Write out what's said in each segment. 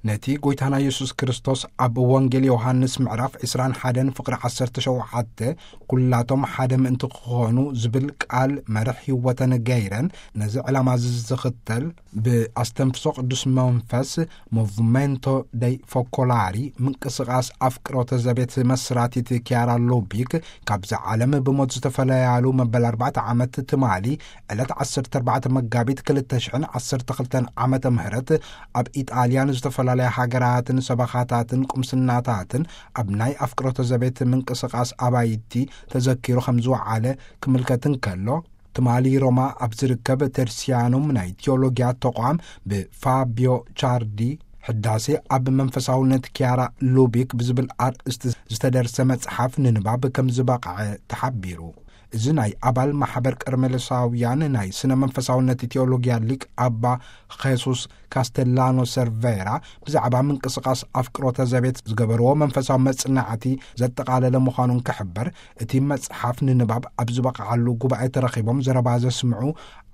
ነቲ ጎይታና የሱስ ክርስቶስ ኣብ ወንጌል ዮሃንስ ምዕራፍ ዕስራን ሓደን ፍቕሪ ዓሰርተ ሸውዓተ፣ "ኩላቶም ሓደ ምእንቲ ክኾኑ" ዝብል ቃል መርሕ ህይወተን ገይረን፣ ነዚ ዕላማ እዚ ዝኽተል ብኣስተንፍሶ ቅዱስ መንፈስ ሞቭመንቶ ደይ ፎኮላሪ ምንቅስቓስ ኣፍቅሮተ ዘቤት መስራቲት ኪያራ ሉቢክ ካብዛ ዓለም ብሞት ዝተፈለያሉ መበል ኣርባዕተ ዓመት ትማሊ ዕለት ዓሰርተ ኣርባዕተ መጋቢት ክልተ ሽሕን ዓሰርተ ክልተን ዓመተ ምህረት ኣብ ኢጣልያ ንዝተፈላለያ ሃገራትን ሰበኻታትን ቁምስናታትን ኣብ ናይ ኣፍቅሮተ ዘቤት ምንቅስቓስ ኣባይቲ ተዘኪሩ ከም ዝወዓለ ክምልከት እንከሎ፣ ትማሊ ሮማ ኣብ ዝርከብ ተርሲያኑም ናይ ቲዮሎጊያ ተቋም ብፋቢዮ ቻርዲ ሕዳሴ ኣብ መንፈሳውነት ኪያራ ሉቢክ ብዝብል ኣርእስቲ ዝተደርሰ መጽሓፍ ንንባብ ከም ዝበቕዐ ተሓቢሩ። እዚ ናይ ኣባል ማሕበር ቀርሜሎሳውያን ናይ ስነ መንፈሳውነት ቲዮሎጊያ ሊቅ ኣባ ኼሱስ ካስተላኖ ሰርቬራ ብዛዕባ ምንቅስቓስ ኣፍቅሮተ ዘቤት ዝገበርዎ መንፈሳዊ መጽናዕቲ ዘጠቓለለ ምዃኑን ክሕበር፣ እቲ መጽሓፍ ንንባብ ኣብ ዝበቕዓሉ ጉባኤ ተረኺቦም ዘረባ ዘስምዑ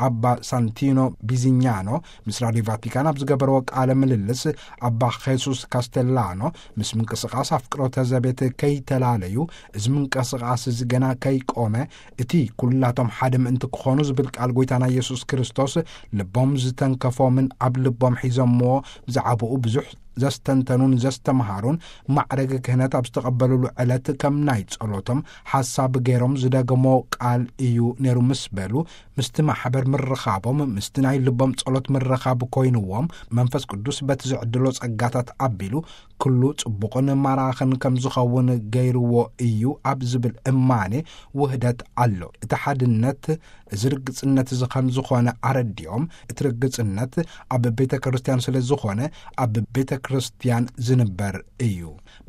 ኣባ ሳንቲኖ ቢዚኛኖ ምስ ራድዮ ቫቲካን ኣብ ዝገበርዎ ቃለ ምልልስ፣ ኣባ ኼሱስ ካስተላኖ ምስ ምንቅስቓስ ኣፍቅሮተ ዘቤት ከይተላለዩ፣ እዚ ምንቅስቓስ እዚ ገና ከይቆመ፣ እቲ "ኩላቶም ሓደ ምእንቲ ክኾኑ" ዝብል ቃል ጎይታና የሱስ ክርስቶስ ልቦም ዝተንከፎምን ኣብ ልቦም ሒዞምዎ ብዛዕባኡ ብዙሕ ዘስተንተኑን ዘስተምሃሩን ማዕረግ ክህነት ኣብ ዝተቐበሉሉ ዕለት ከም ናይ ጸሎቶም ሓሳብ ገይሮም ዝደገሞ ቃል እዩ ነይሩ ምስ በሉ፣ ምስቲ ማሕበር ምርኻቦም ምስቲ ናይ ልቦም ጸሎት ምርኻብ ኮይንዎም፣ መንፈስ ቅዱስ በቲ ዝዕድሎ ጸጋታት ኣቢሉ ኩሉ ጽቡቕን ማራኽን ከም ዝኸውን ገይርዎ እዩ ኣብ ዝብል እማኔ ውህደት ኣሎ። እቲ ሓድነት እዚ ርግጽነት እዚ ከም ዝኾነ ኣረዲኦም፣ እቲ ርግጽነት ኣብ ቤተ ክርስቲያን ስለ ዝኾነ፣ ኣብ ቤተ ክርስቲያን ዝንበር እዩ።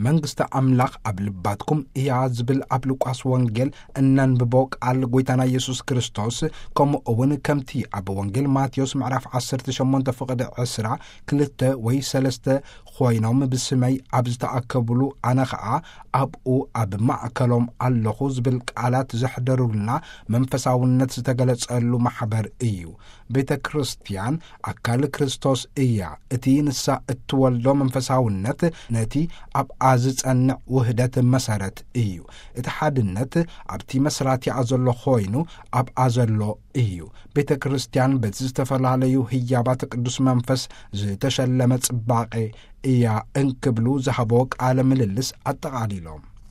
"መንግስቲ ኣምላኽ ኣብ ልባትኩም እያ" ዝብል ኣብ ሉቃስ ወንጌል እነንብቦ ቃል ጎይታና የሱስ ክርስቶስ፣ ከምኡ እውን ከምቲ ኣብ ወንጌል ማቴዎስ ምዕራፍ ዓሰርተ ሸሞንተ ፍቕዲ ዕስራ፣ "ክልተ ወይ ሰለስተ ኮይኖም ብስመይ ኣብ ዝተኣከብሉ፣ ኣነ ኸኣ ኣብኡ ኣብ ማእከሎም ኣለኹ" ዝብል ቃላት ዘሕደሩልና መንፈሳውነት ዝተገለጸሉ ማሕበር እዩ። ቤተ ክርስቲያን ኣካል ክርስቶስ እያ። እቲ ንሳ እትወልዶ መንፈሳውነት ነቲ ኣብኣ ዝጸንዕ ውህደት መሰረት እዩ። እቲ ሓድነት ኣብቲ መስራቲኣ ዘሎ ኮይኑ ኣብኣ ዘሎ እዩ። ቤተ ክርስቲያን በቲ ዝተፈላለዩ ህያባት ቅዱስ መንፈስ ዝተሸለመ ጽባቐ እያ እንክብሉ ዝሃቦ ቃለ ምልልስ ኣጠቓሊሎም።